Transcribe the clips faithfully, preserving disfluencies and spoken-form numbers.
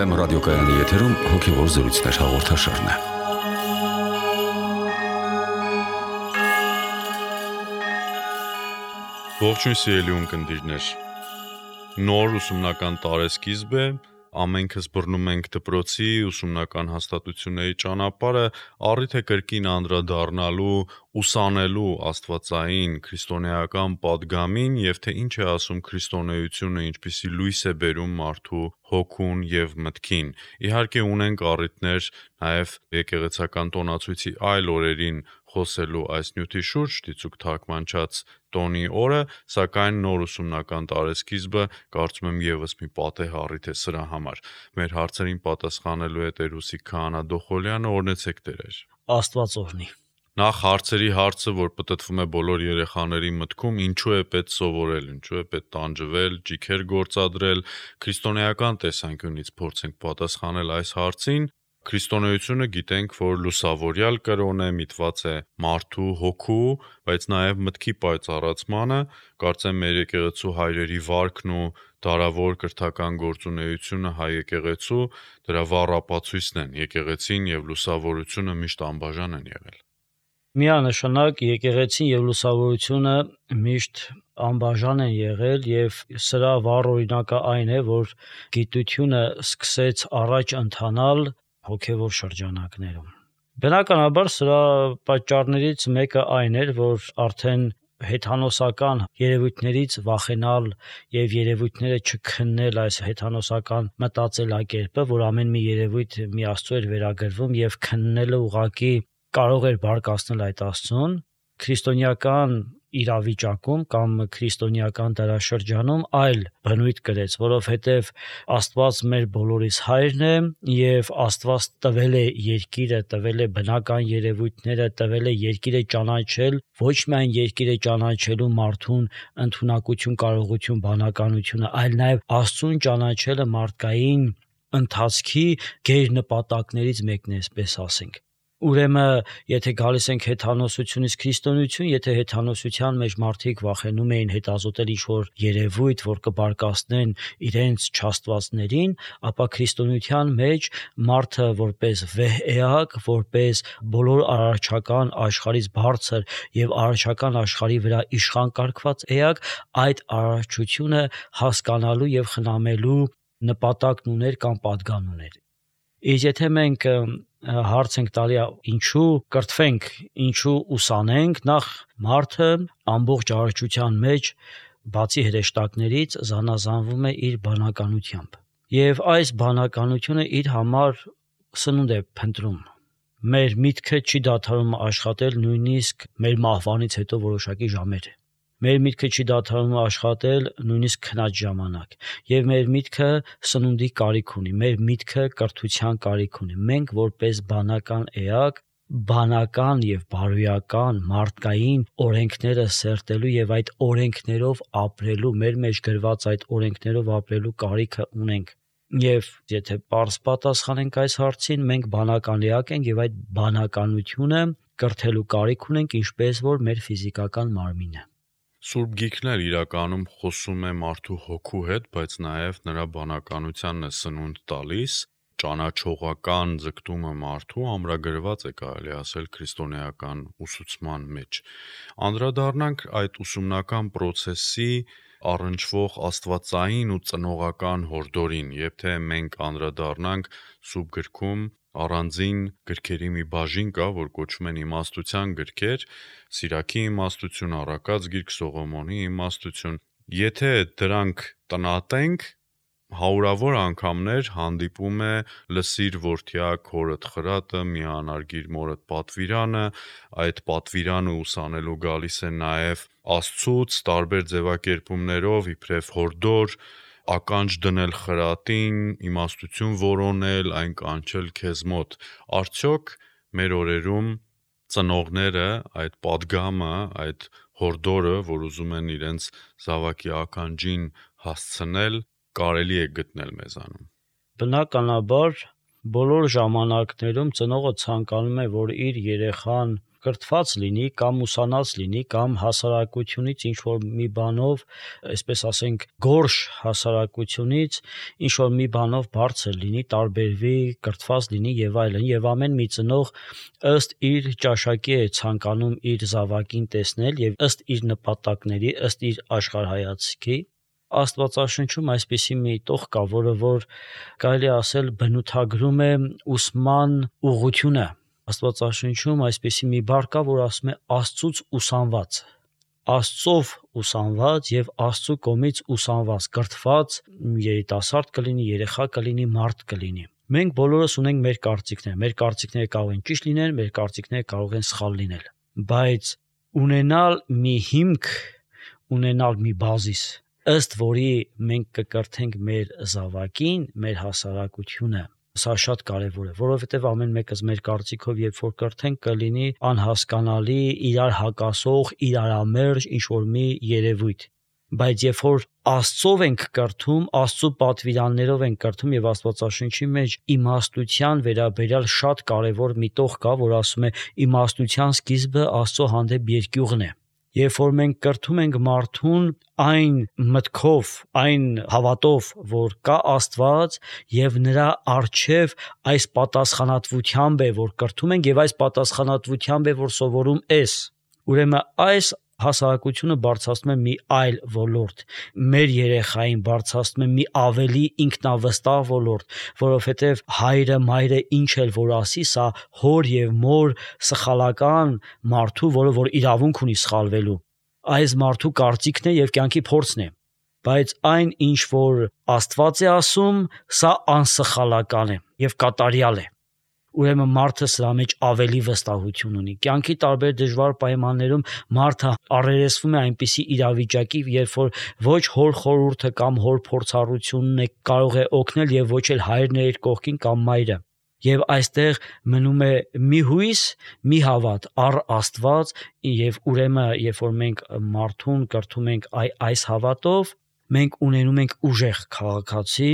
Բեթլեհեմ ռադիոկայանի եթերում հոգևոր զրույցներ հաղորդաշարն է։ Ողջույն սիրելի ունկնդիրներ։ Նոր ուսումնական տարեսկիզբ է, ամենքս բռնում ենք դպրոցի ուսումնական հաստատությունների ճանապարհը, առիթ է կրկին անդրադառնալու, ուսանելու աստվածային քրիստոնեական պատգամին եւ թե ինչ է ասում քրիստոնեությունը, ինչպիսի լույս է բերում մարդու հոգուն եւ մտքին։ Իհարկե ունենք առիթներ նաեւ եկեղեցական տոնացույցի այլ օրերին խոսելու այս նյութի շուրջ, դիցուք թարգմանչած տոնի օրը, սակայն նոր ուսումնական տարեսկիզբը կարծում եմ եւս մի պատեհ առիթ է սրա համար։ Մեր հարցերին պատասխանելու է Տեր Հուսիկ Քահանա Դոխոլյանը, օրհնեցեք Տերեր։ Աստված օրհնի։ Նախ հարցերի հարցը, որ պտտվում է բոլոր երեխաների մտքում, ինչու է պետք սովորել, ինչու է պետք տանջվել, ճիգեր գործադրել, քրիստոնեական տեսանկյունից փորձենք պատասխանել այս հարցին։ Քրիստոնեությունը գիտենք, որ լուսավորյալ կրոն է, միտված է մարդու հոգու, բայց նաև մտքի պայծառացմանը, կարծեմ մեր եկեղեցու հայրերի վարքն ու դարավոր կրթական գործունեությունը հայ եկեղեցու դրա վառ ապացույցն են, եկեղեցին եւ լուսավորությունը միշտ անբաժան են եղել։ Միանշանակ եկեղեցին եւ լուսավորությունը միշտ անբաժան են եղել եւ սրա վառ օրինակը այն է, որ գիտությունը սկսեց առաջ ընթանալ հոգևոր շրջանակներում։ Բնականաբար սրա պատճառներից մեկը այն էր, որ արդեն հեթանոսական երևույթներից վախենալ եւ երևույթները չքննել այս հեթանոսական մտածելակերպը, որ ամեն մի երևույթ մի աստծո էր վերագրվում եւ քննելը ուղղակի կարող էր բարկացնել այդ աստծուն, քրիստոնեական իրավիճակում կամ քրիստոնեական դարաշրջանում այլ բնույթ կրեց, որովհետև Աստված մեր բոլորիս հայրն է եւ Աստված տվել է երկիրը, տվել է բնական երևույթները, տվել է երկիրը ճանաչել, ոչ միայն երկիրը ճանաչելու մարդուն ընդունակություն, կարողություն, բանականությունը, այլ նաեւ Աստծուն ճանաչելը մարդկային ընթացքի գերնպատակներից մեկն է, այսպես ասենք։ Ուրեմն, եթե գալիս ենք հեթանոսությունից քրիստոնեություն, եթե հեթանոսության մեջ մարդիկ վախենում էին հետազոտել ինչ-որ երևույթ, որ կբարկացնեն իրենց չաստվածներին, ապա քրիստոնեության մեջ մարդը որպես վեհ էակ, որպես բոլոր արարչական աշխարհից բարձր եւ արարչական աշխարհի վրա իշխան կարգված էակ, այդ արարչությունը հասկանալու եւ խնամելու նպատակն ուներ կամ պատգամ ուներ։ Իսկ եթե մենք հարց ենք տալի ինչու կրթվենք, ինչու ուսանենք, նախ մարդը ամբողջ արարչության մեջ բացի հրեշտակներից զանազանվում է իր բանականությամբ եւ այս բանականությունը իր համար սնունդ է փնտրում։ Մեր միտքը չի դադարում աշխատել նույնիսկ մեր մահվանից հետո որոշակի ժամեր։ Մեր միտքը չի դադարում աշխատել նույնիսկ քնած ժամանակ եւ մեր միտքը սնունդի կարիք ունի, մեր միտքը կրթության կարիք ունի։ Մենք որպես բանական էակ, բանական եւ բարոյական մարդկային օրենքները սերտելու եւ այդ օրենքներով ապրելու, մեր մեջ գրված այդ օրենքներով ապրելու կարիքը ունենք։ Եվ եթե պարզ պատասխանենք այս հարցին, մենք բանական էակ ենք եւ այդ բանականությունը կրթելու կարիք ունենք, ինչպես որ մեր ֆիզիկական մարմինը։ Սուրբ Գիրքն էլ իրականում խոսում է մարդու հոգու հետ, բայց նաև նրա բանականությանն է սնունդ տալիս, ճանաչողական ձգտումը մարդու ամրագրված է կարելի ասել քրիստոնեական ուսուցման մեջ։ Անդրադառնանք այդ ուսումնական process-ի առնչվող աստվածային ու ծնողական հորդորին, եւ թե մենք անդրադառնանք Սուրբ Գրքում առանձին գրքերի մի բաժին կա, որ կոչվում են իմաստության գրքեր, Սիրաքի իմաստություն, Առակաց գիրք, Սողոմոնի իմաստություն։ Եթե դրանք տնատենք, հարյուրավոր անգամներ հանդիպում է լսիր որդյակ հորդ խրատը, միանարգիր մորդ պատվիրանը, այդ պատվիրանը ուսանելու գալիս է նաև Աստծուց տարբեր ձևակերպումներով իբրև հորդոր, ականջ դնել խրատին, իմաստություն որոնել, այն կանչել քեզ մոտ։ Արդյոք մեր օրերում ծնողները այդ պատգամը, այդ հորդորը, որ ուզում են իրենց զավակի ականջին հասցնել, կարելի է գտնել մեզանում։ Բնականաբար բոլոր ժամանակներում ծնողը ցանկանում է, որ իր երեխան կրթված լինի կամ ուսանած լինի կամ հասարակությունից ինչ որ մի բանով, այսպես ասենք, գորշ հասարակությունից ինչ որ մի բանով բարձր լինի, տարբերվի, կրթված լինի եւ այլն, եւ ամեն մի ծնող ըստ իր ճաշակի է ցանկանում իր զավակին տեսնել եւ ըստ իր նպատակների, ըստ իր աշխարհայացքի։ Աստվածաշնչում այսպիսի մի տող կա, որը որ կարելի ասել բնութագրում է ուսման ուղղությունը։ Աստվածաշնչում այսպիսի մի բառ կա, որ ասում է Աստծուց ուսանված, Աստծով ուսանված եւ Աստծու կողմից ուսանված, կրթված երիտասարդ կլինի, երեխա կլինի, մարդ կլինի։ Մենք բոլորս ունենք մեր կարծիքներ, մեր կարծիքները կարող են ճիշտ լինել, մեր կարծիքները կարող են սխալ լինել, բայց ունենալ մի հիմք, ունենալ մի բազիս, ըստ որի մենք կկրթենք մեր զավակին, մեր հասարակությունը, սա շատ կարևոր է, որովհետև ամեն մեկս մեր կարծիքով երբ որ կրթենք կլինի անհասկանալի, իրար հակասող, իրարամերժ ինչ-որ մի երևույթ, բայց երբ որ Աստծով ենք կրթում, Աստծու պատվիրաններով ենք կրթում եւ Աստվածաշնչի մեջ իմաստության վերաբերյալ շատ կարևոր մի տող կա, որ ասում է իմաստության սկիզբը Աստծո հանդեպ երկյուղն է։ Երբ որ մենք կրթում ենք մարդուն այն մտքով, այն հավատով, որ կա Աստված եւ նրա առջև այս պատասխանատվությամբ է, որ կրթում ենք եւ այս պատասխանատվությամբ է, որ սովորում ես, ուրեմն այս հասարակությունը բարձրացնում է մի այլ ոլորտ, մեր երեխային բարձրացնում է մի ավելի ինքնավստահ ոլորտ, որովհետև հայրը, մայրը ինչ էլ որ ասի, սա հոր եւ մոր սխալական մարդու, որը որ իրավունք ունի սխալվելու, այս մարդու կարծիքն է եւ կյանքի փորձն է, բայց այն ինչ որ Աստված է ասում, սա անսխալական է եւ կատարյալ է։ Ուրեմն մարդը սրա մեջ ավելի վստահություն ունի։ Կյանքի տարբեր դժվար պայմաններում մարդը առերեսվում է այնպիսի իրավիճակի, երբ որ ոչ հոր խորհուրդը կամ հոր փորձառությունն է կարող է օգնել եւ ոչ էլ հայրն է իր կողքին կամ մայրը։ Եվ այստեղ մնում է մի հույս, մի հավատ առ Աստված եւ ուրեմն երբ որ մենք մարդուն կրթում ենք այ այս հավատով, մենք ունենում ենք ուժեղ քաղաքացի,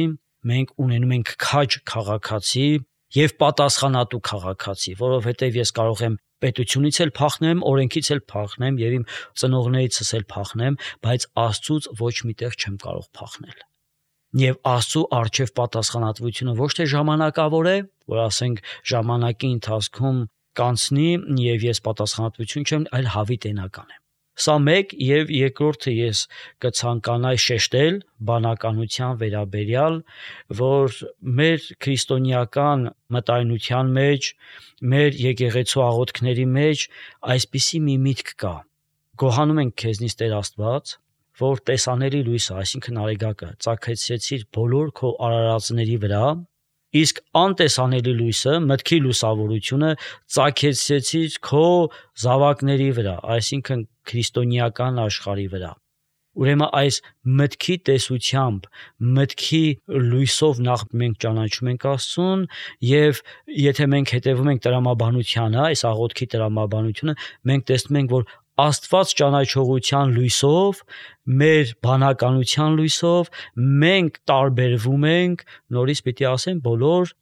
մենք ունենում ենք քաջ քաղաքացի եւ պատասխանատու քաղաքացի, որովհետեւ ես կարող եմ պետությունից էլ փախնեմ, օրենքից էլ փախնեմ եւ իմ ծնողներիցս էլ փախնեմ, բայց Աստծուց ոչ միտեղ չեմ կարող փախնել։ Եվ Աստծու առջև պատասխանատվությունը ոչ թե ժամանակավոր է, որ ասենք ժամանակի ընթացքում կանցնի եւ ես պատասխանատվություն չեմ, այլ հավիտենական է։ Սա մեկ եւ երկրորդը ես կցանկանայի շեշտել բանականության վերաբերյալ, որ մեր քրիստոնեական մտայնության մեջ, մեր եկեղեցու աղոթքների մեջ այսպիսի մի միտք կա. գոհանում ենք քեզնից Տեր Աստված, որ տեսանելի լույսը, այսինքն արեգակը, ծագեցրեցիր բոլոր քո արարածների վրա, իսկ անտեսանելի լույսը, մտքի լուսավորությունը ծագեցրեցիր քո զավակների վրա, այսինքն քրիստոնեական աշխարհի վրա։ Ուրեմն այս մտքի տեսությամբ, մտքի լույսով նախ մենք ճանաչում ենք Աստծուն եւ եթե մենք հետևում ենք տրամաբանությանը, այս աղոթքի տրամաբանությունը, մենք տեսնում ենք, որ Աստված ճանաչողության լույսով, մեր բանականության լույսով մենք տարբերվում ենք, նորից պիտի ասեմ, բոլոր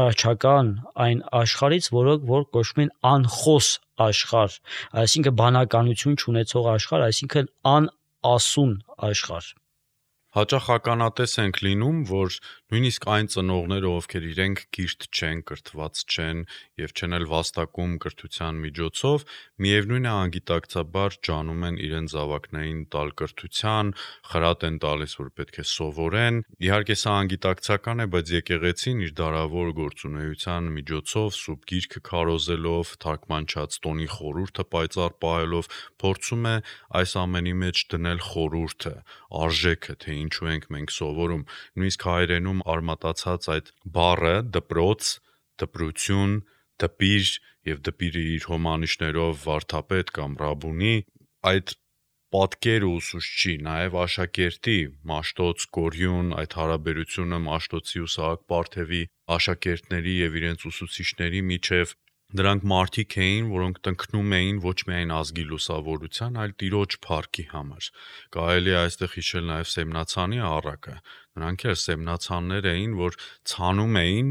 առաջական այն աշխարհից, որը որ կոչվում են անխոս աշխարհ, այսինքն բանականություն չունեցող աշխարհ, այսինքն անասուն աշխարհ։ Հաճախ ականատես ենք լինում, որ նույնիսկ այն ծնողները, ովքեր իրենք կիրթ չեն, կրթված չեն եւ չեն էլ վաստակում կրթության միջոցով, միևնույն է անգիտակցաբար ջանում են իրենց զավակներին տալ կրթության, խրատ են տալիս, որ պետք է սովորեն։ Իհարկե սա անգիտակցական է, բայց եկեղեցին իր դարավոր գործունեության միջոցով, սուրբ գիրքը քարոզելով, թարգմանչած տոնի խորհուրդը պայծառ պահելով, փորձում է այս ամենի մեջ դնել խորհուրդը, արժեքը, թե ինչու ենք մենք սովորում, նույնիսկ հայերենում արմատացած այդ բառը դպրոց, դպրություն, դպիր եւ դպիրը իր հոմանիշներով վարդապետ կամ ռաբունի, այդ պատկերը ուսուցչի, նաեւ աշակերտի, Մաշտոց, Գորյուն, այդ հարաբերությունը Մաշտոցի ու Սահակ Պարթևի աշակերտների եւ իրենց ուսուցիչների միջև Դրանք մարդիկ էին, որոնք տնկնում էին ոչ միայն ազգի լուսավորության, այլ տիրոջ փառքի համար։ Կարելի է այստեղ հիշել նաև Սեմնացանի առակը։ Նրանք էլ սեմնացաններ էին, որ ցանում էին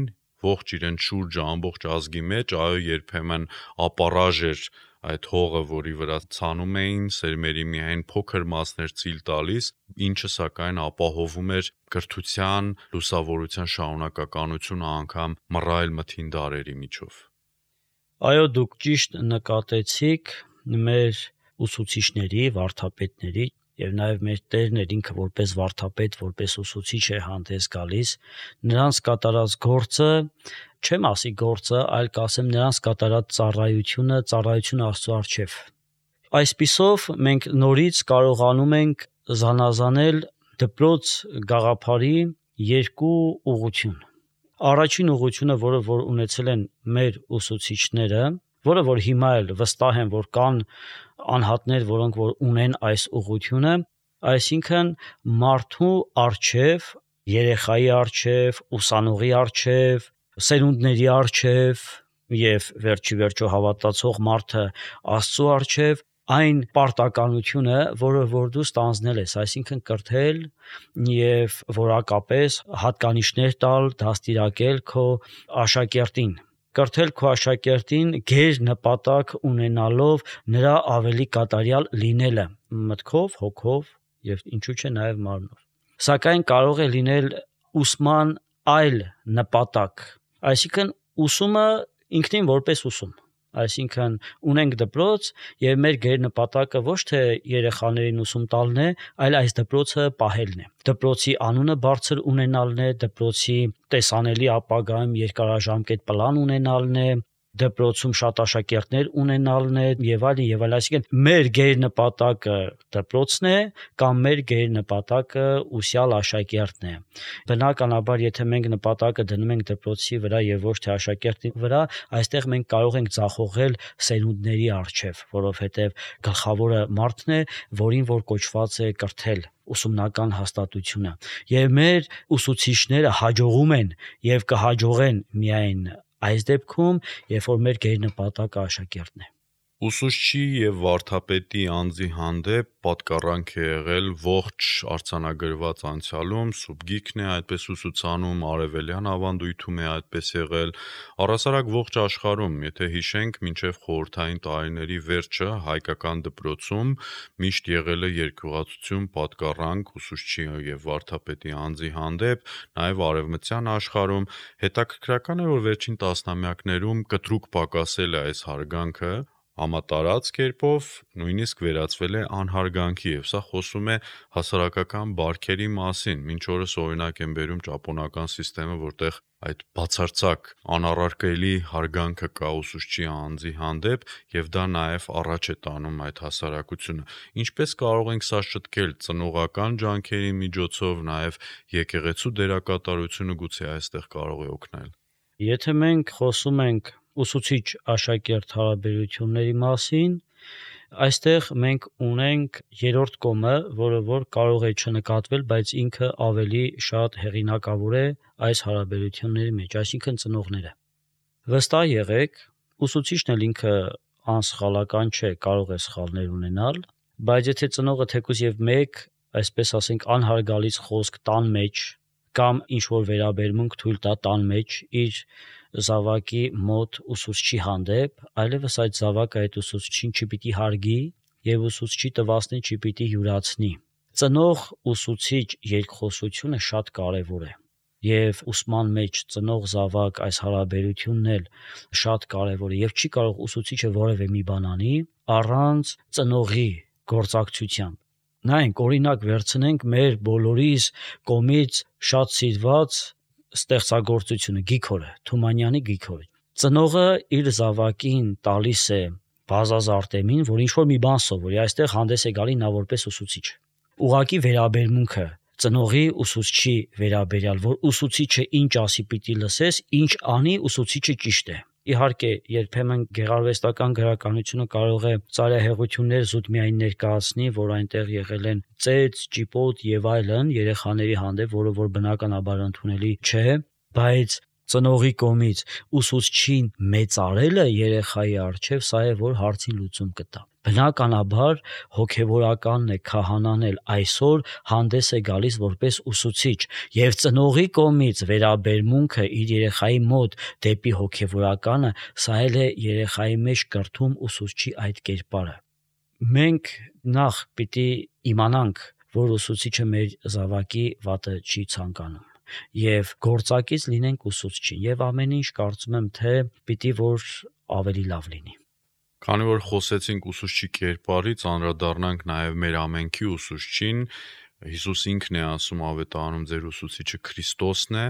ողջ իրենց շուրջը ամբողջ ազգի մեջ, այո, երբեմն ապարաժ էր այդ հողը, որի վրա ցանում էին, սերմերի միայն փոքր մասներ ցիլ տալիս, ինչը սակայն ապահովում էր կրթության, լուսավորության շարունակականությունը անգամ մռայլ մթին դարերի միջով։ Այո, դուք ճիշտ նկատեցիք մեր ուսուցիչների, վարդապետների եւ նաեւ մեր տերն էր ինքը որպես վարդապետ, որպես ուսուցիչ է հանդես գալիս, նրանց կատարած գործը, չեմ ասի գործը, այլ կասեմ նրանց կատարած ծառայությունը, ծառայությունը Աստծո առջև։ Այսպիսով մենք նորից կարողանում ենք զանազանել դպրոց գաղափարի երկու ուղղություն։ Առաջին ուղղությունը, որը որ ունեցել են մեր ուսուցիչները, որը որ հիմա էլ վստահ եմ, որ կան անհատներ, որոնք որ ունեն այս ուղղությունը, այսինքն մարդու առջև, երեխայի առջև, ուսանողի առջև, սերունդների առջև եւ վերջի վերջո հավատացող մարդը Աստծո առջև այն պարտականությունը, որը որ դու ստանձնել ես, այսինքն կրթել եւ որակապես հատկանիշներ տալ, դաստիարակել քո աշակերտին, կրթել քո աշակերտին գեր նպատակ ունենալով նրա ավելի կատարյալ լինելը մտքով, հոգով եւ ինչու՞ չէ նաեւ մարմնով։ Սակայն կարող է լինել ուսման այլ նպատակ, այսինքն ուսումը ինքնին որպես ուսում, այսինքն ունենք դպրոց եւ մեր գերնպատակը ոչ թե երեխաներին ուսում տալն է, այլ այս դպրոցը պահելն է, դպրոցի անունը բարձր ունենալն է, դպրոցի տեսանելի ապագայում երկարաժամկետ պլան ունենալն է, դպրոցում շատ աշակերտներ ունենալն է եւ այլն եւ այլն, այսինքն մեր գերնպատակը դպրոցն է կամ մեր գերնպատակը ուսյալ աշակերտն է։ Բնականաբար, եթե մենք նպատակը դնում ենք դպրոցի վրա եւ ոչ թե աշակերտի վրա, այստեղ մենք կարող ենք ձախողել սերունդների առջև, որովհետեւ գլխավորը մարդն է, որին որ կոչված է կրթել ուսումնական հաստատությունը։ Եվ մեր ուսուցիչները հաջողում են եւ կհաջողեն միայն այս դեպքում, երբ որ մեր գերնպատակը աշակերտն է։ Ուսուցչի եւ վարդապետի անձի հանդեպ պատկառանք է եղել ողջ արձանագրված անցյալում, Սուբգիքն է այդպես ուսուցանում, արևելյան ավանդույթում է այդպես եղել, առասարակ ողջ աշխարհում, եթե հիշենք, մինչև խորհրդային տարիների վերջը հայկական դպրոցում միշտ եղել է երկյուղացություն, պատկառանք ուսուցչի եւ վարդապետի անձի հանդեպ, նաեւ արևմտյան աշխարհում հետաքրքրական է, որ վերջին տասնամյակներում կտրուկ պակասել է այս հարգանքը, համատարած կերպով նույնիսկ վերածվել է անհարգանքի եւ սա խոսում է հասարակական բարքերի մասին։ Մինչ օրս օրինակ են բերում ճապոնական համակարգը, որտեղ այդ բացարձակ անառարկելի հարգանքը կա ուսուցչի անձի հանդեպ եւ դա նաեւ առաջ է տանում այդ հասարակությունը։ Ինչպես կարող ենք սա շտկել ծնողական ջանքերի միջոցով, նաեւ եկեղեցու դերակատարությունը գուցե այստեղ կարող է օգնել։ Եթե մենք խոսում ենք ուսուցիչ-աշակերտ հարաբերությունների մասին, այստեղ մենք ունենք երրորդ կողմը, որը որ կարող է չնկատվել, բայց ինքը ավելի շատ հեղինակավոր է այս հարաբերությունների մեջ, այսինքն ծնողները։ Վստահ եղեք, ուսուցիչն էլ ինքը անսխալական չէ, կարող է սխալներ ունենալ, բայց եթե ծնողը թեկուզ եւ մեկ, այսպես ասենք, անհարգալից խոսք տան մեջ կամ ինչ որ վերաբերմունք թույլ տա տան մեջ իր զավակի մոտ ուսուցչի հանդեպ, այլևս այդ զավակը այդ ուսուցչին չպիտի հարգի եւ ուսուցչի տվասնի չպիտի յուրացնի։ Ծնող ուսուցիչ երկխոսությունը շատ կարեւոր է եւ ուսման մեջ ծնող զավակ այս հարաբերությունն էլ շատ կարեւոր է եւ չի կարող ուսուցիչը որևէ մի բան անի առանց ծնողի գործակցության։ Նայենք, օրինակ վերցնենք մեր բոլորիս կողմից շատ սիրված ստեղծագործությունը Գիգորը, Թումանյանի Գիգորը։ Ծնողը իր զավակին տալիս է Բազազ Արտեմին, որ ինչ-որ մի բան սովորի, այստեղ հանդես է գալի նա որպես ուսուցիչ։ Ուղղակի վերաբերմունքը ծնողի ուսուցչի վերաբերյալ, որ ուսուցիչը ինչ ասի պիտի լսես, ինչ անի ուսուցիչը ճիշտ է։ Իհարկե, երբեմն գեղարվեստական գրականությունը կարող է ծայրահեղություններ զուտ միայն ներկայացնի, որ այնտեղ եղել են ծեծ, ճիպոտ եւ այլն երեխաների հանդեպ, որը որ բնականաբար ընդունելի չէ, բայց ծնողի կողմից ուսուցչին մեծարելը երեխայի առջև, սա է, որ հարցին լուծում կտա։ Բնականաբար հոգևորականն է, քահանան էլ այսօր հանդես է գալիս որպես ուսուցիչ, եւ ծնողի կողմից վերաբերմունքը իր երեխայի մոտ դեպի հոգևորականը, սա էլ է երեխայի մեջ կրթում ուսուցչի այդ կերպարը։ Մենք նախ պիտի իմանանք, որ ուսուցիչը մեր զավակի վատը չի ցանկանում, եւ գործակից լինենք ուսուցչին, եւ ամեն ինչ կարծում եմ, թե պիտի որ ավելի լավ լինի։ Քանի որ խոսեցինք ուսուցչի կերպարից, անդրադառնանք նաև մեր ամենքի ուսուցչին։ Հիսուս ինքն է ասում ավետարանում, ձեր ուսուցիչը Քրիստոսն է,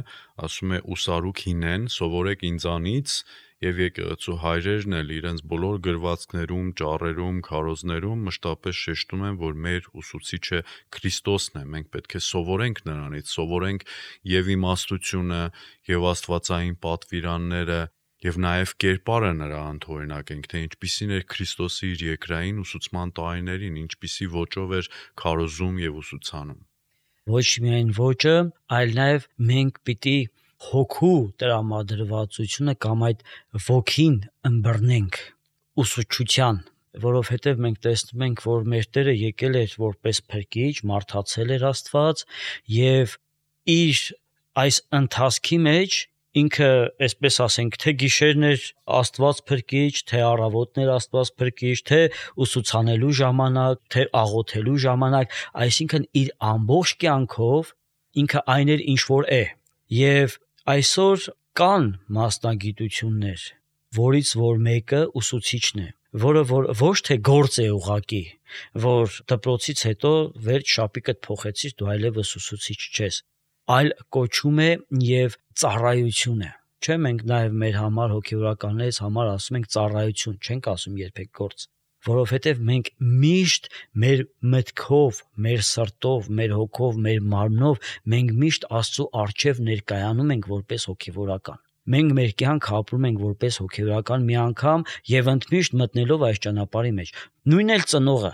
ասում է ուսարուք հինեն, սովորեք ինձանից, եւ եկեղեցու հայրերն էլ իրենց բոլոր գրվածքներում, ճառերում, քարոզներում մշտապես շեշտում են, որ մեր ուսուցիչը Քրիստոսն է։ Մենք պետք է սովորենք նրանից, սովորենք եւ իմաստությունը, եւ աստվածային պատվիրանները, եւ նաեւ կերպարը նրա անթորինակենք, թե ինչպիսին էր Քրիստոսի իր երկրային ուսուցման տարիներին, ինչպիսի ոճով էր քարոզում եւ ուսուցանում։ Ոչ միայն ոճը, այլ նաեւ մենք պիտի հոգու տրամադրվածությունը կամ այդ ոգին ըմբռնենք ուսուցչության, որովհետեւ մենք տեսնում ենք, որ մեր Տերը եկել էր որպես փրկիչ, մարդացել էր Աստված եւ իր այս ընթացքի մեջ ինքը, այսպես ասենք, թե գիշերն էր Աստված փրկիչ, թե առավոտներ Աստված փրկիչ, թե ուսուցանելու ժամանակ, թե աղոթելու ժամանակ, այսինքն իր ամբողջ կյանքով ինքը այն էր, ինչ որ է։ Եվ այսօր կան մասնագիտություններ, որից որ մեկը ուսուցիչն է, որը որ ոչ թե գործ է ուղակի, որ դպրոցից հետո վերջ շապիկդ փոխեցիր, դու այլևս ուսուցիչ չես, այլ կոչում է եւ ծառայություն է։ Չէ, մենք նաեւ մեր համար հոգեվորականներից համար ասում ենք ծառայություն, չենք ասում երբեք գործ, որովհետեւ մենք միշտ մեր մտքով, մեր սրտով, մեր հոգով, մեր մարմնով մենք միշտ Աստծո առջև ներկայանում ենք որպես հոգեվորական։ Մենք մեր կյանքը ապրում ենք որպես հոգեվորական մի անգամ եւ ընդմիշտ մտնելով այս ճանապարհի մեջ։ Նույնն էլ ծնողը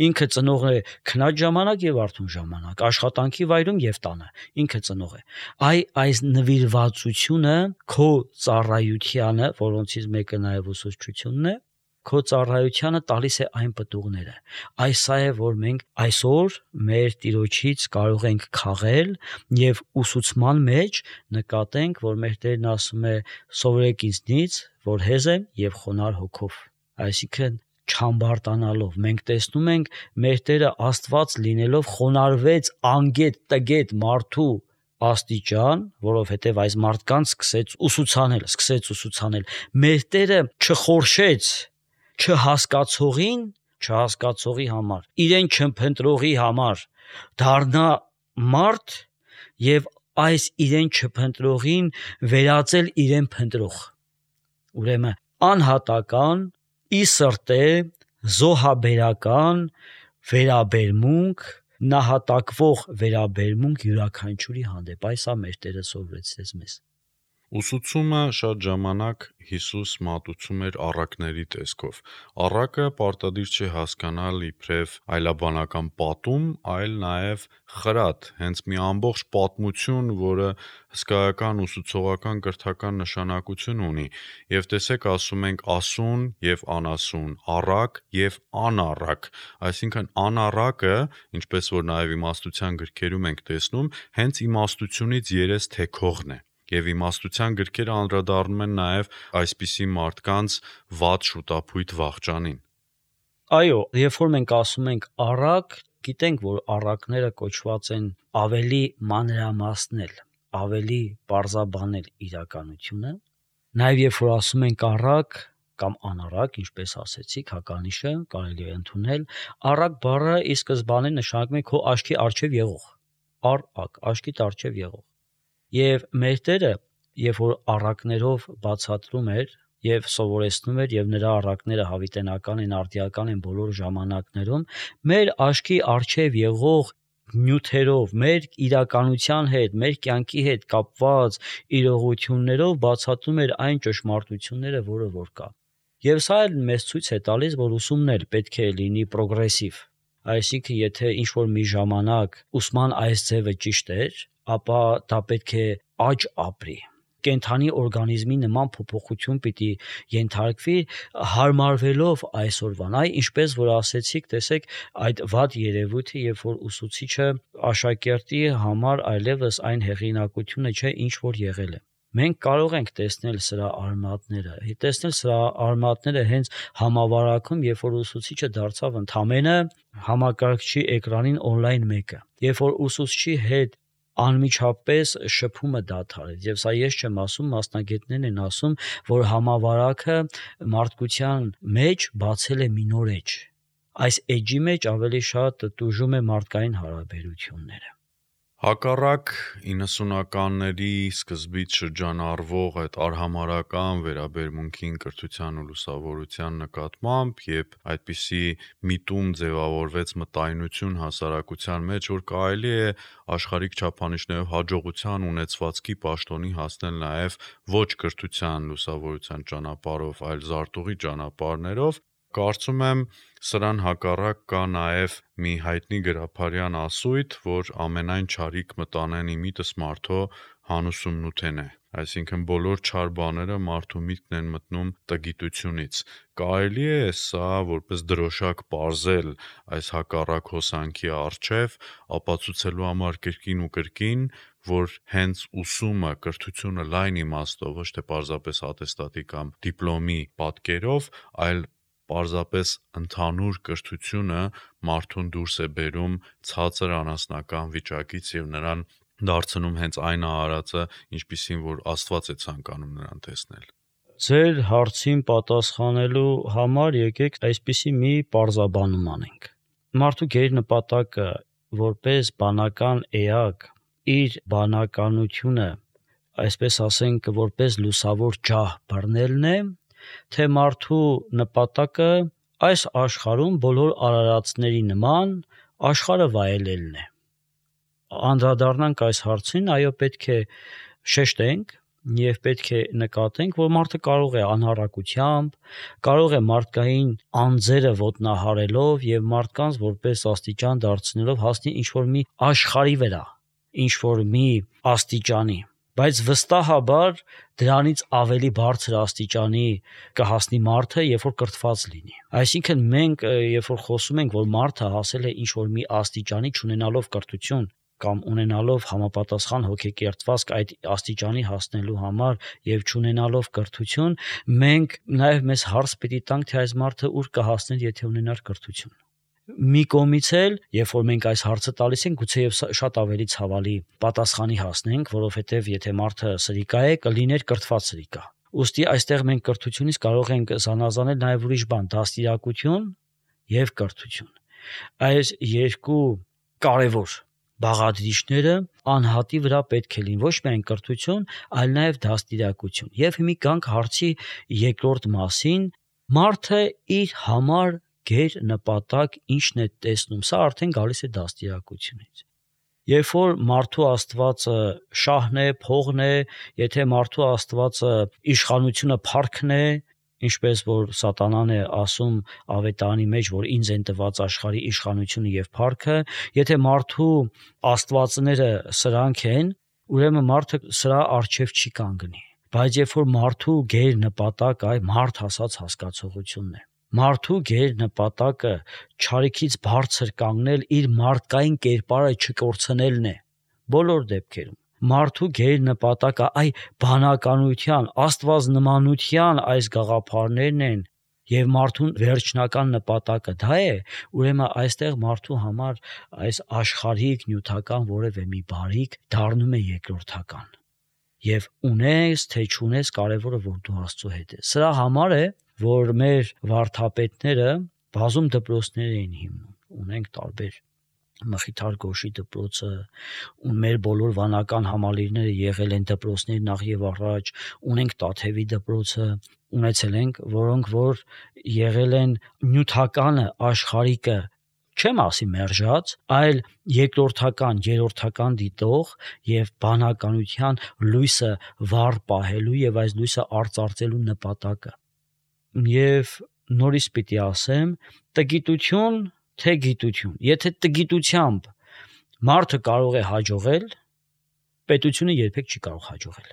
Ինքը ծնողն է քնած ժամանակ եւ արթուն ժամանակ, աշխատանքի վայրում եւ տանը, ինքը ծնող է։ Այ այս նվիրվածությունը քո ծառայությանը, որոնցից մեկը նաեւ ուսուցչությունն է, քո ծառայությանը տալիս է այն պտուղները։ Այս սա է, որ մենք այսօր մեր Տիրոջից կարող ենք քաղել եւ ուսուցման մեջ նկատենք, որ մեր Տերն ասում է. «Սովորեք ինձնից, որ հեզ եմ եւ խոնարհ հոգով»։ Այսինքն չամբարտանալով մենք տեսնում ենք մեր Տերը Աստված լինելով խոնարհվեց անգետ տգետ մարդու աստիճան, որովհետև այս մարդկանց սկսեց ուսուցանել, սկսեց ուսուցանել։ Մեր Տերը չխորշեց չհասկացողին, չհասկացողի համար, իրեն չփնտրողի համար դառնա մարդ եւ այս իրեն չփնտրողին վերածել իրեն փնտրող։ Ուրեմն անհատական ի սրտե զոհաբերական վերաբերմունք, նահատակվող վերաբերմունք յուրաքանչյուրի հանդեպ, այս է մեր Տերը սովորեցրեց մեզ։ Ուսուցումը շատ ժամանակ Հիսուս մատուցում էր առակների տեսքով։ Առակը պարտադիր չէ հասկանալ իբրև այլաբանական պատում, այլ նաև խրատ, հենց մի ամբողջ պատմություն, որը հսկայական ուսուցողական կրթական նշանակություն ունի։ Եվ տեսեք, ասում ենք ասուն եւ անասուն, առակ եւ անառակ։ Այսինքն անառակը, ինչպես որ նաև իմաստության գրքերում ենք տեսնում, հենց իմաստությունից երես թեքողն է։ Եվ իմաստության գրքերը անդրադառնում են նաև այսպիսի մարդկանց վատ շուտափույթ վախճանին։ Այո, երբ որ մենք ասում ենք առակ, գիտենք, որ առակները կոչված են ավելի մանրամասնել, ավելի պարզաբանել իրականությունը։ Նաև երբ որ ասում ենք առակ կամ անառակ, ինչպես ասեցիք, հականիշը կարելի է ընդունել, առակ բառը ի սկզբանե նշանակում է քո աչքի առջև եղող։ Առակ, աչքիդ առջև եղող։ Եվ մեր Տերը, երբ որ առակներով բացատրում էր եւ սովորեցնում էր եւ նրա առակները հավիտենական են, արդիական են բոլոր ժամանակներում, մեր աչքի առջև եղող նյութերով, մեր իրականության հետ, մեր կյանքի հետ կապված իրողություններով բացատրում էր այն ճշմարտությունները, որը որ կա։ Եվ սա էլ մեզ ցույց է տալիս, որ ուսումներ պետք է լինի պրոգրեսիվ։ Այսինքն, եթե ինչ-որ մի ժամանակ ուսման այս ձևը ճիշտ էր, ապա դա պետք է աճ ապրի։ կենդանի օրգանիզմի նման փոփոխություն պիտի ենթարկվի հարմարվելով այսօրվան։ Այ ինչպես որ ասեցիք, տեսեք այդ վատ երևույթը, երբ որ ուսուցիչը աշակերտի համար այլևս այն հեղինակությունը չէ, ինչ որ եղել է։ Մենք կարող ենք տեսնել սրա արմատները, տեսնել սրա արմատները հենց համավարակում, երբ որ ուսուցիչը դարձավ ընդամենը համակարգչի էկրանին on-line մեկը, երբ որ ուսուցչի հետ անմիջապես շփումը դադարեց, եւ սա ես չեմ ասում, մասնագետներն են ասում, որ համավարակը մարդկության մեջ բացել է մի նոր էջ։ Այս էջի մեջ ավելի շատ տուժում է մարդկային հարաբերությունները։ Հակառակ իննսունականների սկզբից շրջանառվող այդ արհամարհական վերաբերմունքին կրթության ու լուսավորության նկատմամբ, երբ այդպիսի միտում ձևավորվեց մտայնություն հասարակության մեջ, որ կարելի է աշխարհիկ չափանիշներով հաջողության ունեցվածքի պաշտոնի հասնել նաև ոչ կրթության լուսավորության ճանապարհով, այլ զարտուղի ճանապարհներով, կարծում եմ սրան հակառակ կա նաև մի հայտնի գրաբարյան ասույթ, որ ամենայն չարիք մտանեն իմիտս մարդո հանուսումն ու թեն է, այսինքն բոլոր չար բաները մարդու միտքն են մտնում տգիտությունից։ Կարելի է սա որպես դրոշակ պարզել այս հակառակ հոսանքի առջև, ապացուցելու համար կրկին ու կրկին, որ հենց ուսումը, կրթությունը լայն իմաստով, ոչ թե պարզապես ատեստատի կամ դիպլոմի պատկերով, այլ պարզապես ընդհանուր կրթությունը մարդուն դուրս է բերում ցածր անասնական վիճակից եւ նրան դարձնում հենց այն արարածը, ինչպիսին որ Աստված է ցանկանում նրան տեսնել։ Ձեր հարցին պատասխանելու համար եկեք այսպիսի մի պարզաբանում անենք։ Մարդու գերնպատակը որպես բանական էակ իր բանականությունը, այսպես ասենք, որպես լուսավոր ջահ բռնելն է, թե մարդու նպատակը այս աշխարհում բոլոր արարածների նման աշխարհը վայելելն է։ Անդրադառնանք այս հարցին, այո, պետք է շեշտենք եւ պետք է նկատենք, որ մարդը կարող է անհարակությամբ, կարող է մարդկային անձերը ոտնահարելով եւ մարդկանց որպես աստիճան դարձնելով հասնի ինչ-որ մի աշխարհի վրա, ինչ-որ մի աստիճանի, բայց վստահաբար դրանից ավելի բարձր աստիճանի կհասնի մարդը, երբ որ կրթված լինի։ Այսինքն մենք, երբ որ խոսում ենք, որ մարդը հասել է ինչ-որ մի աստիճանի չունենալով կրթություն կամ ունենալով համապատասխան հոգեկերտվածք այդ աստիճանի հասնելու համար եւ չունենալով կրթություն, մենք նաեւ մեզ հարց պիտի տանք, թե այս մարդը ուր կհասներ, եթե ունենար կրթություն։ Մի կողմից էլ, երբ որ մենք այս հարցը տալիս ենք, գուցեև շատ ավելի ցավալի պատասխանի հասնենք, որովհետև եթե մարդը սրիկա է, կլիներ կրթված սրիկա։ Ուստի այստեղ մենք կրթությունից կարող ենք զանազանել նաև ուրիշ բան՝ դաստիարակություն եւ կրթություն։ Այս երկու կարևոր բաղադրիչները անհատի վրա պետք է լինի ոչ միայն կրթություն, այլ նաև դաստիարակություն։ Եվ հիմա գանք հարցի երկրորդ մասին՝ մարդը իր համար գեր նպատակ ինչն է տեսնում, սա արդեն գալիս է դաստիարակությունից։ Երբ որ մարդու աստվածը շահն է, փողն է, եթե մարդու աստվածը իշխանությունը փառքն է, ինչպես որ սատանան է ասում ավետարանի մեջ, որ ինձ են տված աշխարհի իշխանությունը եւ փառքը, եթե մարդու աստվածները սրանք են, ուրեմն մարդը սրա առջև չի կանգնի։ Բայց երբ որ մարդու գեր նպատակ այ մարդ հասած հասկացողությունն է, մարդու գեր նպատակը չարիքից բարձր կանգնել, իր մարդկային կերպարը չկորցնելն է բոլոր դեպքերում։ Մարդու գեր նպատակը այ բանականության, աստվածնմանության այս գաղափարներն են եւ մարդուն վերջնական նպատակը դա է, ուրեմն այստեղ մարդու համար այս աշխարհիկ նյութական որևէ մի բարիք դառնում է երկրորդական։ Եվ ունես թե չունես, կարևորը որ դու Աստծո հետ ես։ Սրա համար է, որ մեր վարդապետները բազում դպրոցներ էին հիմնում, ունենք տարբեր Մխիթար Գոշի դպրոցը, ու մեր բոլոր վանական համալիրները եղել են դպրոցներ նախ եւ առաջ, ունենք Տաթևի դպրոցը, ունեցել ենք, որոնք որ եղել են նյութականը, աշխարհիկը, չեմ ասի մերժած, այլ երկրորդական, երրորդական դիտող եւ բանականության լույսը վառ պահելու եւ այս լույսը արծարծելու նպատակը։ Եվ նորից պիտի ասեմ, տգիտություն թե գիտություն։ Եթե տգիտությամբ մարդը կարող է հաջողել, պետությունը երբեք չի կարող հաջողել։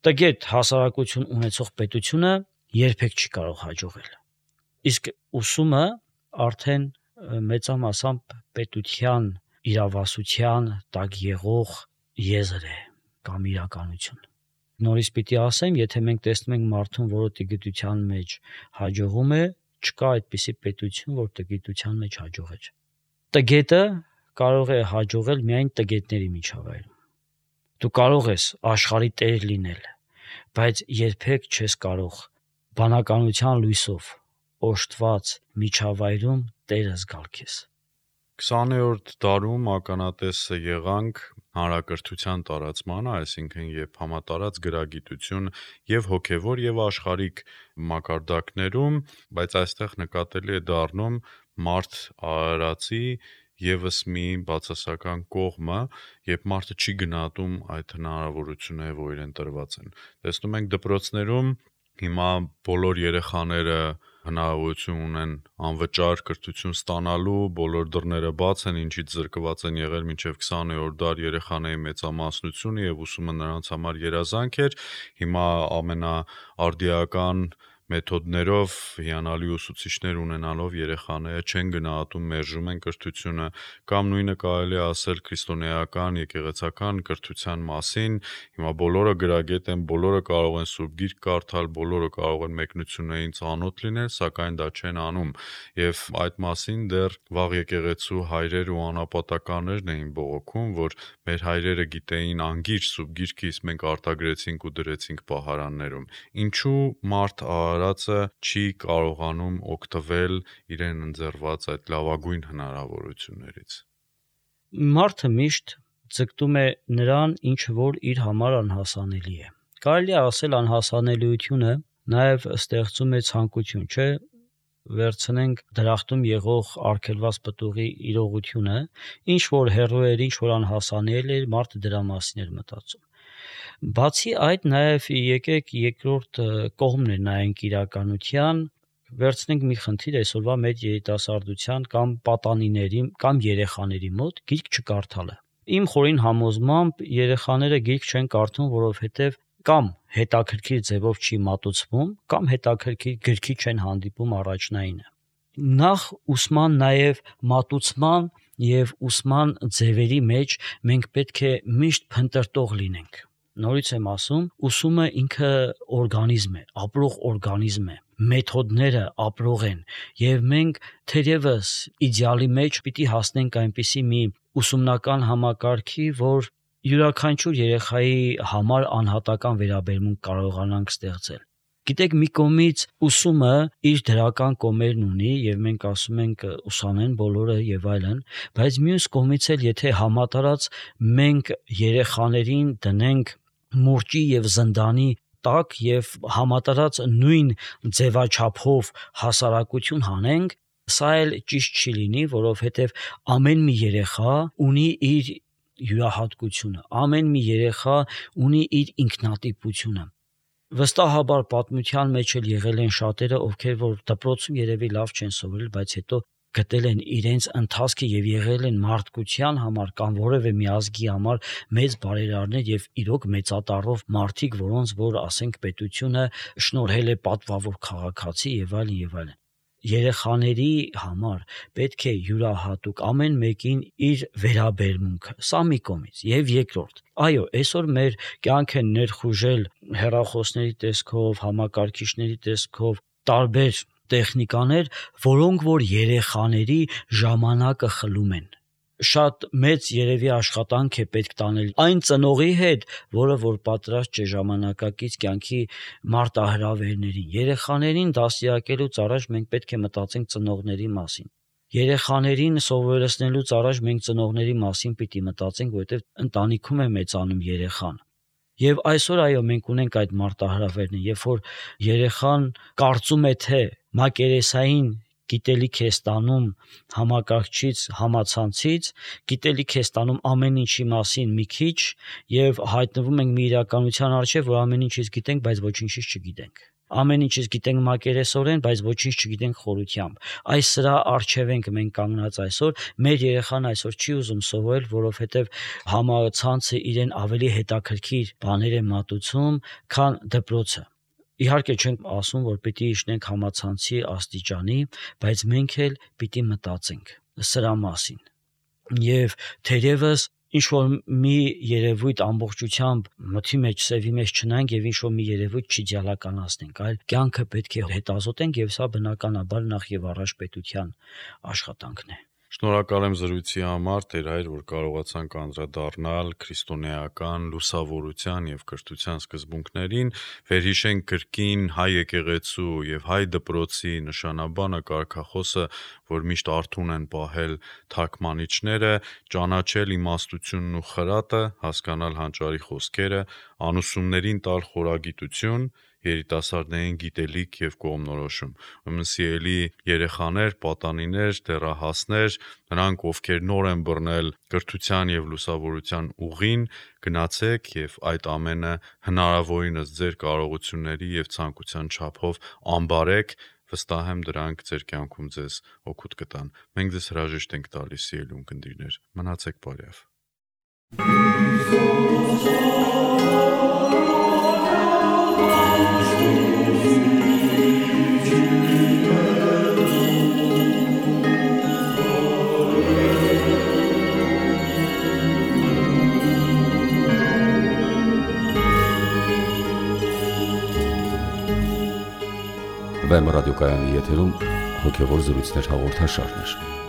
Տգետ հասարակություն ունեցող պետությունը երբեք չի կարող հաջողել։ Իսկ ուսումը արդեն մեծամասամբ պետության իրավասության տակ եղող եզր է կամ իրականություն։ Նորից պիտի ասեմ, եթե մենք տեսնում ենք մարդուն, որը տգիտության մեջ հաջողում է, չկա այդպիսի պետություն, որ տգիտության մեջ հաջողեր։ Տգետը կարող է հաջողել միայն տգետների միջավայրում։ Դու կարող ես աշխարհի տեր լինել, բայց երբեք չես կարող բանականության լույսով օժտված միջավայրում տերը զգալ քեզ։ քսաներորդ դարում ականատեսը եղանք հանրակրթության տարածմանը, այսինքն երբ համատարած գրագիտություն եւ հոգեվոր եւ աշխարհիկ մակարդակներում, բայց այստեղ նկատելի է դառնում մարդ արարածի եւս մի բացասական կողմը, երբ մարդը չի գնահատում այդ հնարավորությունները, որ իրեն տրված են։ Տեսնում ենք դպրոցներում հիմա բոլոր երեխաները հնարավորություն ունեն անվճար կրթություն ստանալու, բոլոր դռները բաց են, ինչից զրկված են եղել մինչև քսաներորդ դար երեխաների մեծամասնությունը եւ ուսումը նրանց համար երազանք էր։ Հիմա ամենաարդիական մեթոդներով հիանալի ուսուցիչներ ունենալով երեխաները չեն գնահատում, մերժում են կրթությունը, կամ նույնը կարելի է ասել քրիստոնեական եկեղեցական կրթության մասին։ Հիմա բոլորը գրագետ են, բոլորը կարող են Սուրբ Գիրք կարդալ, բոլորը կարող են մեկնություններին ծանոթ լինել, սակայն դա չեն անում։ Եվ այդ մասին դեռ վաղ եկեղեցու հայրեր ու անապատականներն էին բողոքում, որ մեր հայրերը գիտեին անգիր Սուրբ Գիրքը, իսկ մենք արտագրեցինք ու դրեցինք պահարաններում։ Ինչու մարդ արարածը չի կարողանում օգտվել իրեն ընձեռված այդ լավագույն հնարավորություններից։ Մարդը միշտ ձգտում է նրան, ինչ որ իր համար անհասանելի է։ Կարելի է ասել անհասանելիությունը նաև ստեղծում է ցանկություն, չէ՞, վերցնենք դրախտում եղող արգելված պտուղի իրողությունը, ինչ որ հեռու էր, ինչ որ անհասանելի էր, մարդը դրա մասին էր մտածում։ Բացի այդ, նաև եկեք երկրորդ կողմն էր նայենք իրականության, վերցնենք մի խնդիր այսօրվա մեր երիտասարդության կամ պատանիների կամ երեխաների մոտ գիրք չկարդալը։ Իմ խորին համոզմամբ երեխաները գիրք չեն կարդում, որովհետև կամ հետաքրքիր ձևով չի մատուցվում, կամ հետաքրքիր գրքի չեն հանդիպում առաջնայինը։ Նախ ուսման նաև մատուցման եւ ուսման ձևերի մեջ մենք պետք է միշտ փնտրտող լինենք։ Նորից եմ ասում, ուսումը ինքը օրգանիզմ է, ապրող օրգանիզմ է, մեթոդները ապրող են, եւ մենք թերևս իդեալի մեջ պիտի հասնենք այնպիսի մի ուսումնական համակարգի, որ յուրաքանչյուր երեխայի համար անհատական վերաբերմունք կարողանանք ստեղծել։ Գիտեք, մի կողմից ուսումը իր դրական կողմերն ունի եւ մենք ասում ենք ուսանեն բոլորը եւ այլն, բայց մյուս կողմից էլ եթե համատարած մենք երեխաներին դնենք մուրճի եւ զնդանի տակ եւ համատարած նույն ձևաչափով հասարակություն հանենք, սա էլ ճիշտ չի լինի, որովհետեւ ամեն մի երեխա ունի իր յուրահատկությունը, ամեն մի երեխա ունի իր ինքնատիպությունը։ Վստահաբար պատմության մեջ էլ եղել են շատերը, ովքեր որ դպրոցում երևի լավ չեն սովորել, բայց հետո գտել են իրենց ընթացքը եւ եղել են մարդկության համար կամ որևէ մի ազգի համար մեծ բարերարներ եւ իրոք մեծատառով մարդիկ, որոնց որ ասենք պետությունը շնորհել է պատվավոր քաղաքացի եւ այլն եւ այլն։ Երեխաների համար պետք է յուրահատուկ ամեն մեկին իր վերաբերմունքը, սա մի կողմից, եւ երկրորդ, այո, այսօր մեր կյանք են ներխուժել հեռախոսների տեսքով, համակարգիչների տեսքով, տարբեր տեխնիկաներ, որոնք որ երեխաների ժամանակը խլում են։ Շատ մեծ երևի աշխատանք է պետք տանել այն ծնողի հետ, որը որ պատրաստ չէ ժամանակակից կյանքի մարտահրավերներին։ Երեխաներին դաստիարակելուց առաջ մենք պետք է մտածենք ծնողների մասին։ Երեխաներին սովորեցնելուց առաջ մենք ծնողների մասին պիտի մտածենք, որովհետև ընտանիքում է մեծանում երեխան։ Եվ այսօր այո, մենք ունենք այդ մարտահրավերն, երբ որ երեխան կարծում է, թե մակերեսային գիտելիք է ստանում համակարգչից, համացանցից, գիտելիք է ստանում ամեն ինչի մասին մի քիչ եւ հայտնվում ենք մի իրականության առջեւ, որ ամեն ինչից գիտենք, բայց ոչինչից չգիտենք։ ամեն ինչից գիտենք մակերեսորեն, բայց ոչինչ չգիտենք խորությամբ։ Այս սրա առջև ենք մենք կանգնած այսօր, մեր երեխան այսօր չի ուզում սովորել, որովհետև համացանցը իրեն ավելի հետաքրքիր բաներ է մատուցում, քան դպրոցը։ Իհարկե չենք ասում, որ պիտի իջնենք համացանցի աստիճանի, բայց մենք էլ պիտի մտածենք սրա մասին։ Եվ թերևս ինչ-որ մի երևույթ ամբողջությամբ մթի մեջ, սևի մեջ չնայենք և ինչ-որ մի երևույթ չիդեալականացնենք, այլ կյանքը պետք է հետազոտենք և սա բնականաբար նախ և առաջ պետության աշխատանքն է։ Շնորհակալ եմ զրույցի համար, Տեր Հայր, որ կարողացանք անդրադառնալ քրիստոնեական լուսավորության և կրթության սկզբունքներին, վերհիշենք կրկին հայ եկեղեցու և հայ դպրոցի նշանաբանը, կարգախոսը, որ միշտ արթուն են պահել թարգմանիչները, ճանաչել իմաստությունն ու խրատը, հասկանալ հանճարի խոսքերը, անուսումներին տալ խորագիտություն, երիտասարդներին գիտելիք և կողմնորոշում։ Ուրեմն սիրելի երեխաներ, պատանիներ, դեռահասներ, նրանք, ովքեր նոր են բռնել կրթության և լուսավորության ուղին, գնացեք և այդ ամենը հնարավորինս ձեր կարողությունների և ցանկության չափով ամբարեք, վստահ եմ դրանք ձեր կյանքում ձեզ օգուտ կտան։ Մենք ձեզ հրաժեշտ ենք տալիս, սիրելի ունկնդիրներ, մնացեք բարյավ։ Վեմ ռադիոկայանի եթերում հոգևոր զրույցներ հաղորդաշարներ։